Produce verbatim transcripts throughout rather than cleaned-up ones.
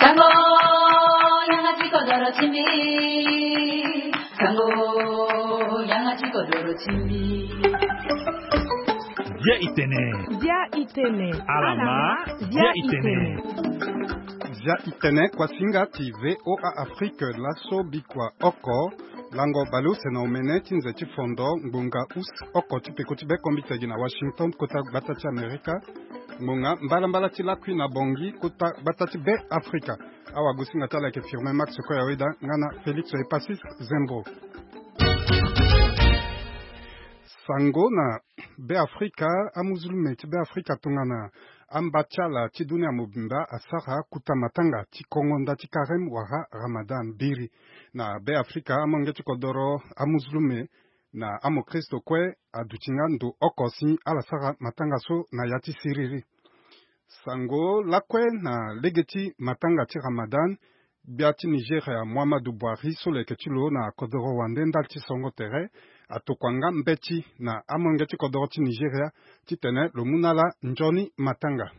Sango, yanga ti kodoro ti mbi. Sango, yanga ti kodoro ti mbi. Bia itene. Bia itene. Alama. Bia itene. Bia itene, kuasinga ti V O A Afrique, laso bikua oko. Lango baleuse na omene ti nze ti fondo ngbonga us oko ti peko ti be kombite gi na Washington, kota gbata ti Amerika. Ngbonga mbalambala ti lakui na bongi, kota gbata ti be Afrika. Awagosinga ti ala ayeke Firmin Max Koyaweda nga na Félix Epasis Zembo. Sango na be Afrika, amuzulume ti be Afrika tongana amba ti ala ti dunia mobimba asara kuta matanga ti kongo nda ti karem wala Ramadan biri. Na be Afrika, amolenge ti kodoro, amuzulume na amokristo kue aduti nga ndo oko si ala sara matanga so na ya ti siriri. Sango lakue na lege ti matanga ti Ramadan, gbia ti Nigeria Muhammadu Buhari so lo yeke ti lo na kodoro wande ndali ti songo tere, atokua nga mbeti na amolenge ti kodoro ti Nigeria titene lo mu na ala nzoni matanga.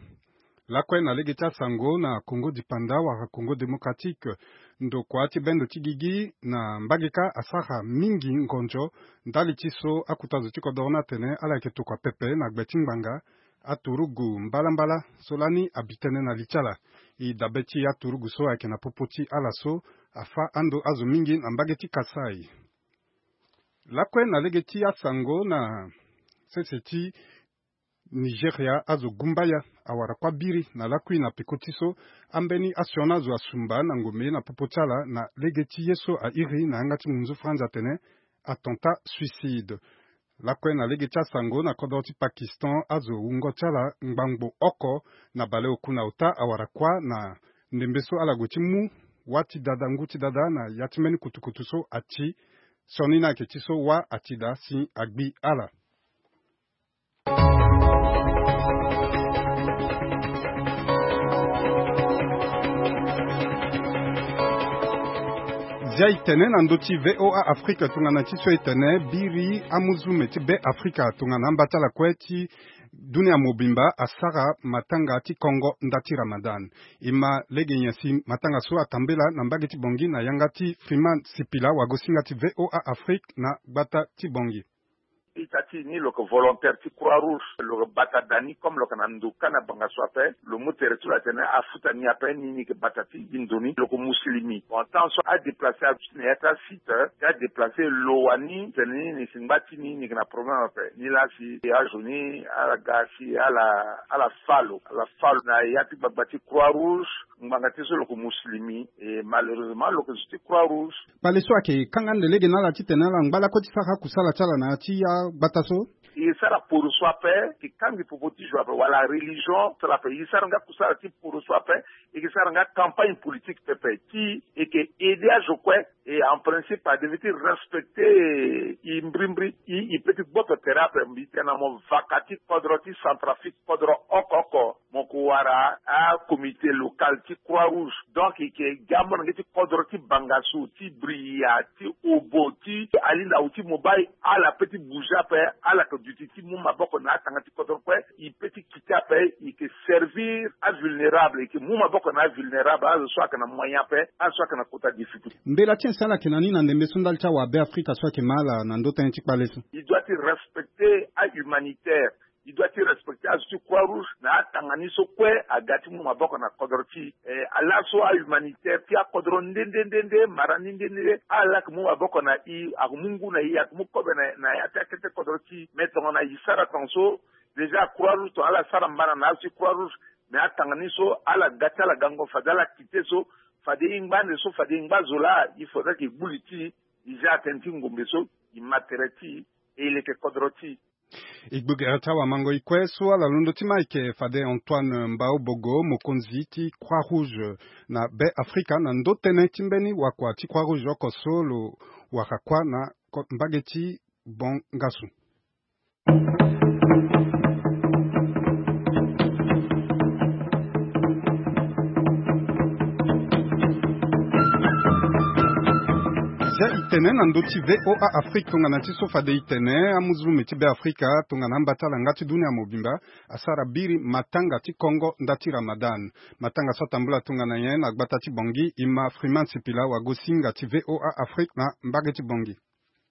Lakue na lege ti asango na Congo dipanda wala Congo démocratique, ndokua ti bendo ti gigi na mbageka asara mingi ngonzo ndali ti so akuta zo ti kodoro ni atene ala yeke tokua pepe na gbe ti ngbanga aturugu mbalambala so lani abi tënë na li ti ala. E dabe ti aturugu so ayeke na popo ti ala so afâ ando azo mingi na mbage ti Kasaï. Lakue na lege ti asango na sese ti Nigeria, azo gumbaya awara kuâ biri na lakui na peko ti so ambeni asioni azo asumba na ngombe na popo ti ala na lege ti ye so airi na yanga ti munzu franzi atene attentat suicide. Lakue na lege ti asango na kodro ti Pakistan, azo wungo ti ala ngbangbo oko na baleoku na ota awara kuâ na ndembe so ala gue ti mu wâ ti dada, ngu ti dada na ya ti mbeni kutukutu so ati. Sioni ni ayeke ti so wâ ati daa si agbi ala. Zia e tene na ndö ti V O A Afrika tongana ti so e tene biri amuzume ti Be Afrika tongana amba ti ala kue ti dunia mobimba asara matanga ti kongo nda ti Ramadan. E ma lege nyen si matanga so atambela na mbage ti Bangui na yanga ti Freeman Sipila, wagosinga ti V O A Afrique na gbata ti Bangui. Ita ti ni lo yeke volontaire ti Croix Rouge, lo yeke bata da ni comme lo yeke na ndo kâ na banga so ape. Lo mu tere ti lo atene afuta ni ape, ni ni yeke bata ti gi ndo ni, lo yeke muslimi. Bon, temps so adéplacer aduti na ya ti asite ti adéplacer lo wani tene ni ni si ngba ti ni ni yeke na problème ape. Ni laa si azo ni ala ga si ala ala fâ lo, ala fâ lo na ya ti gbagba ti Croix Rouge. Ngbanga ti so lo yeke muslimi, e malheureusement lo yeke zo ti Croix Rouge. Kpale so ayeke kanga ande lege na ala titene ala ngba lakue ti sara kusala ti ala na ya ti agbata so. E sara poro so ape, e kangi popo ti zo ape wala religion so ape. E sara nga kusala ti poro so ape, e ke sara nga campagne politique pepe ti e ke aider azo kue. E en principe a devait ti respecter e mbrimbri, e, e peut ti gboto tere ape. Mbi tene na mo vaka ti kodro ti Centrafrique, kodro oko oko. Mo ko wara acomité local ti Croix Rouge. Donc e ke gi amolenge ti kodro ti banga so, ti Bria, ti Obo, ti Alinda ou ti Mobaye, ala peut ti bouger ape. Ala yeke duti ti mu maboko na atanga ti kodro kue. E peut ti kite ape, e ke servir avulnérable, e ke mu maboko na avulnérable, azo so ayeke na moyen ape, azo so ayeke na kota difficulté. Mbela ti nyen si ala yeke na ni na ndembe so ndali ti awa Be Afrika so ayeke ma ala na ndö tënë ti kpale so? E doit ti respecter ahumanitaire. E doit ti respecter azo ti Croix Rouge na atanga ni so kue aga ti mu maboko na kodro ti e. Eh, ala so ahumanitaire ti akodro nde nde nde nde, mara ni nde nde nde, ala laa ayeke mu maboko na e, ayeke mu ngu na e, ayeke mu kobe na, na ya ti akete kodro ti e. Mais tongana e sara tongaso, déjà Croix Rouge tongana ala sara mbana na azo ti Croix Rouge, mais atanga ni so ala ga ti ala gango fade ala kite so, fade e ngba ande so, fade e ngba zo laa, il faudrait que e gbu li ti e, e zia atene ti ngombe so, e ma tere ti e, e leke kodro ti e. E gbu gere ti awamango e kue so ala londo ti ma ayeke fade Antoine Mbaobogo, mokonzi ti Croix Rouge na Be Afrika, na ndö tënë ti mbeni wakua ti Croix Rouge oko so lo wara kuâ na ko-, mbage ti Bangassou. Zia e Tene na ndö ti VOA Afrique tongana ti so fade e tene, amuzulume ti Beafrika tongana amba ti ala nga ti dunia mobimba asara biri matanga ti kongo nda ti Ramadan. Matanga so atambula tongana nyen na gbata ti Bangui? E ma Freeman Sipila, wagosinga ti VOA Afrique na mbage ti Bangui.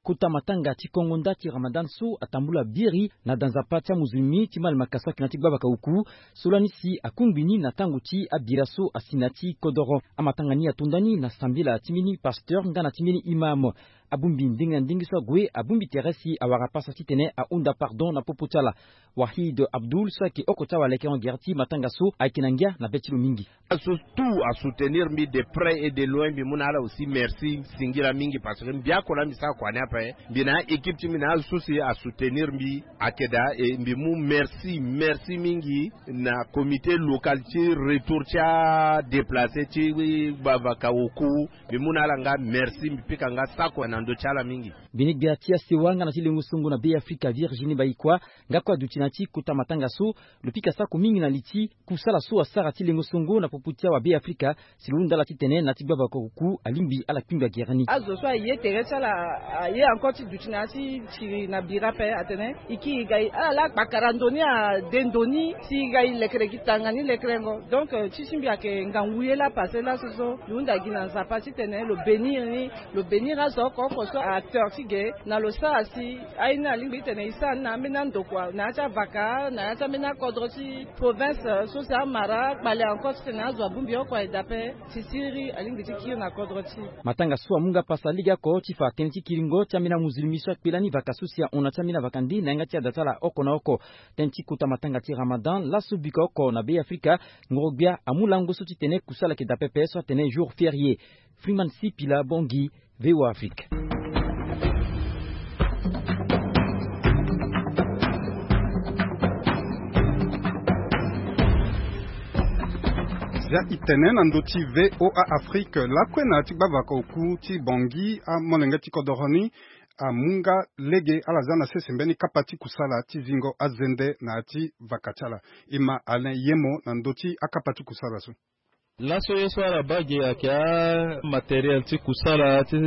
Kota matanga ti kongo nda ti Ramadan so atambula biri na da nzapa ti amuzulmi ti malemaka so ayeke na ya ti gbavaka oku, so lani si akungbi ni na tango ti abira so asi na ya ti kodoro. Amatanga ni ato ndani na sambela ti mbeni pasteur nga na ti mbeni imam. Abongbi ndenge na ndenge so ague, abongbi tere si awara pasa titene ahunda pardon na popo ti ala. Wahid Abdul so ayeke oko ti awalekerengo gere ti matanga so ayeke na ngia na be ti lo mingi. Aso tout asoutenir mbi de près et de loin, mbi mu na ala aussi merci singila mingi, parce que mbi oko laa mbi sara kua ni ape, mbi na a-équipe ti mbi na azo so si asoutenir mbi ayeke daa, e mbi mu merci, merci mingi na comité local ti retour ti adéplacé ti gbavaka oku. Mbi mu na ala nga merci, mbi pika nga sako na ndö ti ala mingi. Mbi ni gbia ti asewa nga na ti lengo songo na Beafrika, Virginie Bayikua, nga kue aduti na ya ti kota matanga so. Lo pika sako mingi na li ti kusala so asara ti lengo songo na popo ti awa Beafrika, si lo hunda ala titene na ya ti gbavaka oku alingbi ala kpingba gere ni. Azo so aye tere ti ala aye encore ti duti na ya ti siri na bira ape atene e kiri e ga e, ala laa akpakara ndo ni, ade ndo ni si e ga e lekere gi tanga ni lekerengo. Donc, euh, ti si mbi ayeke ngangu ye laa passé laso so mbi hunda gi na Nzapa titene lo bénir ni, lo bénir azo oko oko so acteur ti ge na lo sara si aye ni alingbi titene e sara ni na ambeni andokua na ya ti avaka, na ya ti ambeni akodro ti province, euh, so si amara kpale encore titene azo abongbi oko aye daa ape. Sisiri alingbi ti kiri na kodro ti. Matanga so amu nga pasa legeoko ti fa tënë ti kiringo ti ambeni amuzulmi so akpe lani vaka so si ahon na ti ambeni avaka nde na yanga ti ada ti ala oko na oko. Tënë ti kota matanga ti Ramadan laso bika oko na Beafrika, ngoro-gbia amu lango so titene kusala ayeke daa pepe so atene jour férié. Freeman Sipila, Bangui, VOA Afrique. Zia e tene na ndö ti VOA Afrique lakue na ya ti gbavaka oku ti Bangui, amolenge ti kodoro ni amu nga lege ala za na sese mbeni kapa ti kusala ti zingo azende na ya ti vaka ti ala. E ma Alain Yemo na ndö ti akapa ti kusala so. Laso ye so ala baa ge ayeke amatériel ti kusala ti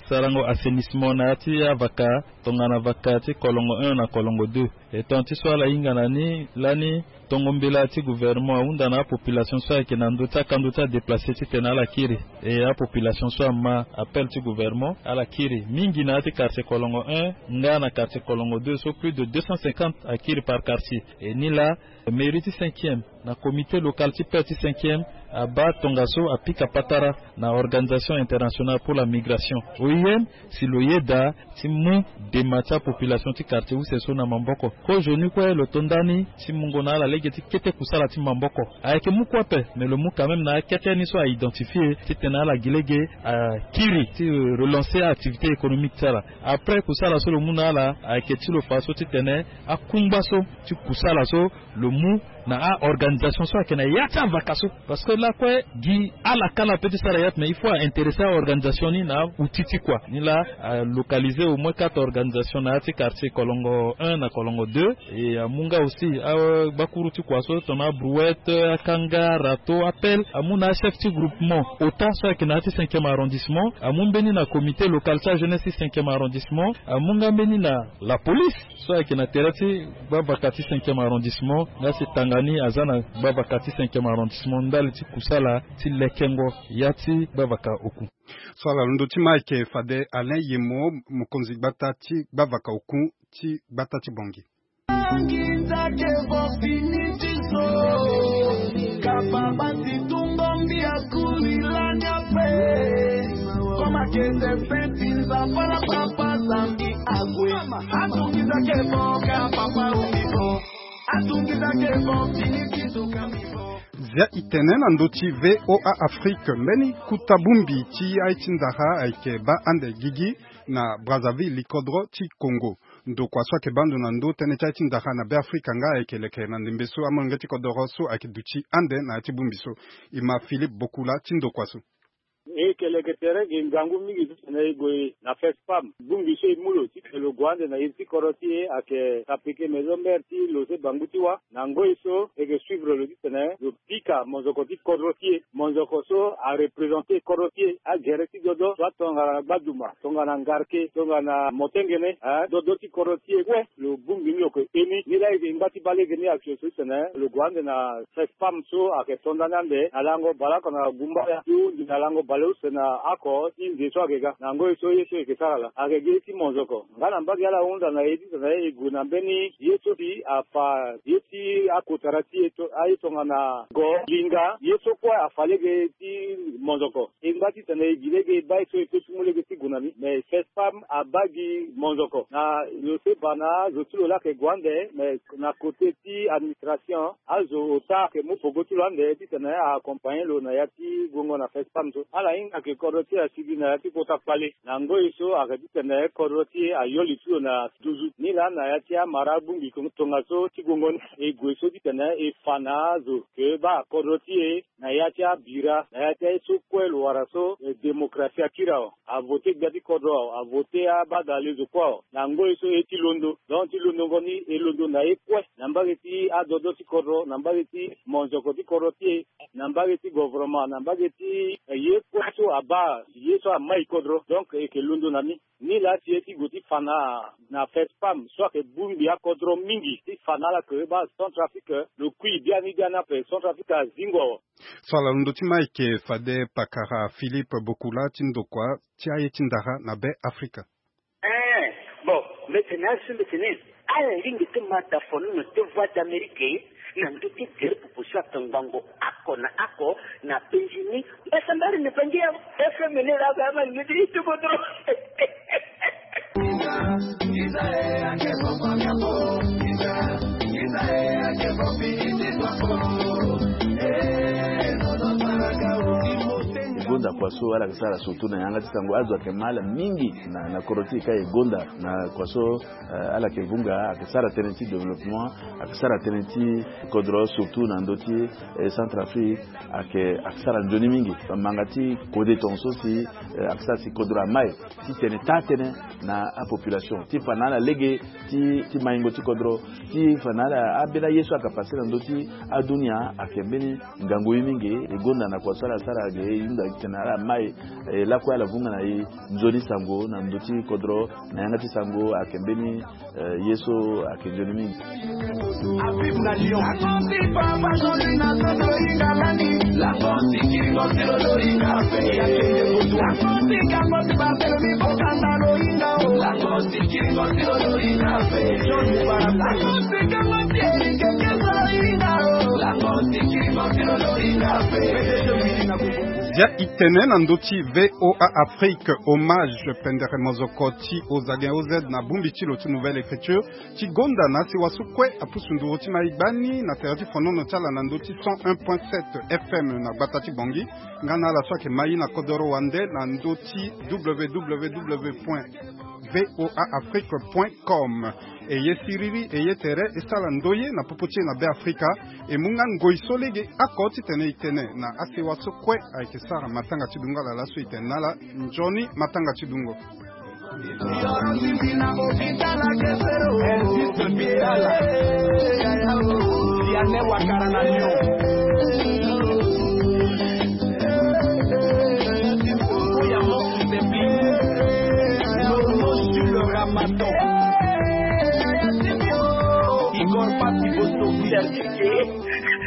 sarango assainissement na ya ti avaka, tongana vaka ti kolongo un na kolongo deux. E tonga ti so ala hinga na ni lani, tongo mbela ti gouvernement ahunda na apopulation so ayeke na ndö ti akando ti adéplacé titene ala kiri. E apopulation so ama appel ti gouvernement ala kiri mingi na ya ti quartier kolongo un nga na quartier kolongo deux so plus de deux cent cinquante akiri par quartier. E ni laa mairie ti cinquième na comité local ti paix ti cinquième abaa tongaso apika patara na Organisation Internationale pour la Migration, O I M, si lo yeda ti mu dema ti apopulation ti quartier use so na maboko. Kozoni kue lo to ndani ti mungo na ala lege ti kete kusala ti maboko. Ayeke mu kue ape, mais lo mu quand même na akete ni so a identifié titene ala gi lege akiri ti relancer activité économique ti ala. Après kusala so lo mu na ala ayeke ti lo fa so titene akungba so ti kusala so lo mu na a-organisation so ayeke na ya ti avaka so. Parce que lakue gi ala kala ape ti sara ya ti, mais il faut a-intéresser a-organisation ni na aoutil ti kua ni laa alocaliser au moins quatre organisations na ya ti quartier kolongo un na kolongo deux. E amu nga aussi agbakuru ti kua so tongana abrouette, akanga, râteau, appel, amu na achef ti groupement ota so ayeke na ya ti cinquième arrondissement, amu mbeni na comité local ti ajeunesse ti cinquième arrondissement, amu nga mbeni na la police so ayeke na tere ti gbavaka ti cinquième arrondissement, nga si tanga ni aza na gbavaka ti cinquième arrondissement ndali ti kusala ti lekengo ya ti gbavaka oku. So ala londo ti ma ayeke fade Alain Yemo, mokonzi gbata ti gbavaka oku ti gbata ti Bangui. Nginza ke vo fini ti so. Kapa basi tungo mbi akuri lani ape. Koma kende feti nzapa na papa zambi ague. Atungisa ke vo ka papa umi vo. Atungisa ke vo fini ti so kambi vo. Zia e tene na ndö ti VOA Afrique, mbeni kuta bongbi ti aye ti ndara ayeke baa ande gigi na Brazzaville, likodro ti Congo. Ndokua so ayeke baa ndo na ndö tënë ti aye ti ndara na Beafrika nga ayeke leke na ndembe so amolenge ti kodoro so ayeke duti ande na ya ti bongbi so. E ma Philippe Bokula ti ndokua so. E yeke leke tere ge ngangu mingi titene e gue na FESPAM. Bongbi so e mu lo titene lo gue ande na iri ti kodro ti e ayeke Sapeke, maison mère ti Losé Bangu ti Wa. Na ngoi so e yeke suivre lo titene lo pika monzoko ti kodro ti e, monzoko so arepresente kodro ti e, agere ti dodo so atongana gbaduma, tongana ngarke, tongana motengene, eh, dodo ti kodro ti e kue. Lo bongbi ni lo yeke e ni. Nilaa e yeke ngba ti baa lege ni action so titene lo gue ande na FESPAM so ayeke to ndani ande na lango baleoko na gumbaya ti hunzi na lango baleuse na oko ti nze so ayeke ga. Na ngoi so ye so e yeke sara laa ayeke gi ye ti monzoko. Nga na mbage ala hunda na e titene e gue na mbeni ye so si afa ye ti akotara ti e to, aye tongana go, linga, ye so kue afa lege ti monzoko. E ngba titene e gi lege e baa ye so e peut ti mu lege ti gue na ni. Mais FESPAM abaa gi monzoko. Na lo seba na azo ti lo laa ayeke gue ande, mais na côté ti administration, azo ota ayeke mu pogo ti lo ande titene a accompagner lo na ya ti guengo na FESPAM so. Ala hinga ayeke kodro ti e asigi na ya ti kota kpale. Na ngoi so ayeke titene kodro ti e ayoli ti lo na duzu. Nilaa na ya ti amara abongbi tongaso ti guengo ni, e gue so titene e fa na azo ke baa kodro ti e na ya ti abira, na ya ti aye so kue lo wara so, eh, démocratie akiri awe. Avote gbia ti kodro awe, avote abadalezo kue awe. Na ngoi so e ti londo. Donc ti londongo ni e londo na ye kue, na mbage ti adodo ti kodro, na mbage ti monzoko ti kodro ti e, na mbage ti gouvernement, na mbage ti, eh, ye kue so abaa ye so amai kodro. Donc e yeke londo na ni. Nilaa ti e ti gue ti fa na, na FESPAM so ayeke bongbi akodro mingi ti fa na ala ke baa Centrafrique, lo kui biani biani ape, Centrafrique azingo awe. So ala londo ti ma ayeke fade pakara Philippe Bokula ti ndokua ti aye ti ndara na Be Afrika. Eh, bon, mbetene asu mbetene. Ala lingbi ti ma da fonono ti Voix d'Amérique na ndö ti gere popo so atongbango oko na oko na penzi ni. Mbasambari na bangi ya F M ni la ba ma ni ti tuko dro. E gonda kua so ala yeke sara surtout na yanga ti sango, azo ayeke ma ala mingi na, na kodro ti e ka e gonda na kua so, eh, ala yeke vunga, ayeke sara tënë ti développement, ayeke sara tënë ti kodro surtout na ndö ti, eh, Centrafrique, ayeke, ayeke sara nzoni mingi. Bamanga ti kode tongaso si, eh, ayeke sara si kodro amai ti tene taa tënë na apopulation ti fa na ala lege ti, ti maingo ti kodro, ti fa na ala ambeni aye so ayeke pase na ndö ti adunia ayeke mbeni ngangu ye mingi. E gonda na kua so ala sara ge e hunda titene ala mai, e lakue ala vunga na e nzoni sango na ndö ti kodro na yanga ti sango ayeke mbeni, eh, ye so ayeke nzoni mingi. Zia itene na ndö ti V O A Afrique, hommage pendere mozoko ti Ozagen O Z na bongbi ti lo ti Nouvelle Écriture, ti gonda na asewa so kue apusu nduru ti ma e gbani na tere ti fonono ti ala na ndö ti cent un point sept F M na gbata ti Bangui, nga na ala so ayeke ma e na kodoro wande na ndö ti W W W point V O A Afrique point com. E ye siriri, e ye tere, e sara ndoye na popo ti e na Be Afrika. E mu nga ngoi so lege oko titene e tene na asewa so kue ayeke sara matanga ti dungo ala laso e tene na ala nzoni matanga ti dungo.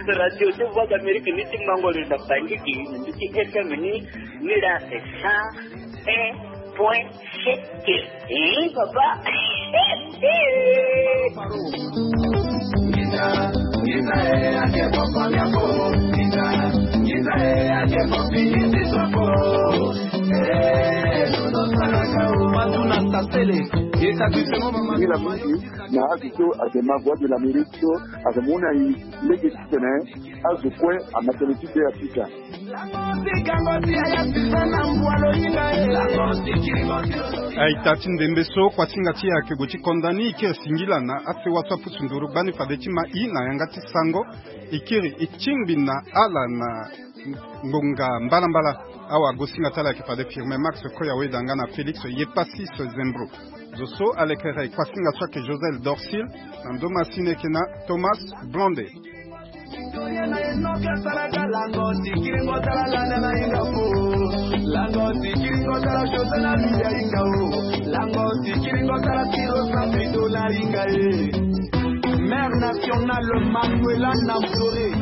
Radio ti Voix d'Amérique ni ti mango lo na Bangui, ni ti F M ni, ni la cent un point sept. Eh, papa. Mingi na mingi na azo so ayeke ma Voix de l'Amérique so ayeke mu na e lege titene azo kue ama tënë ti Be Afrika. Aita ti ndembe so kuasinga ti e ayeke gue ti konda ni, e kiri singila na asewa so apusu nduru gbani fade ti ma e na yanga ti sango. E kiri e tingbi na ala na Ngonga mbalambala awa gosinga ti ala ayeke fade Firmin Max Koya Weda nga na Félix Yepassis Zembro. Zo so alekere kuasinga so ayeke Josel Dorsil. Na ndo masini eke na Thomas Blonde. Mère nationale Manuela Nampore.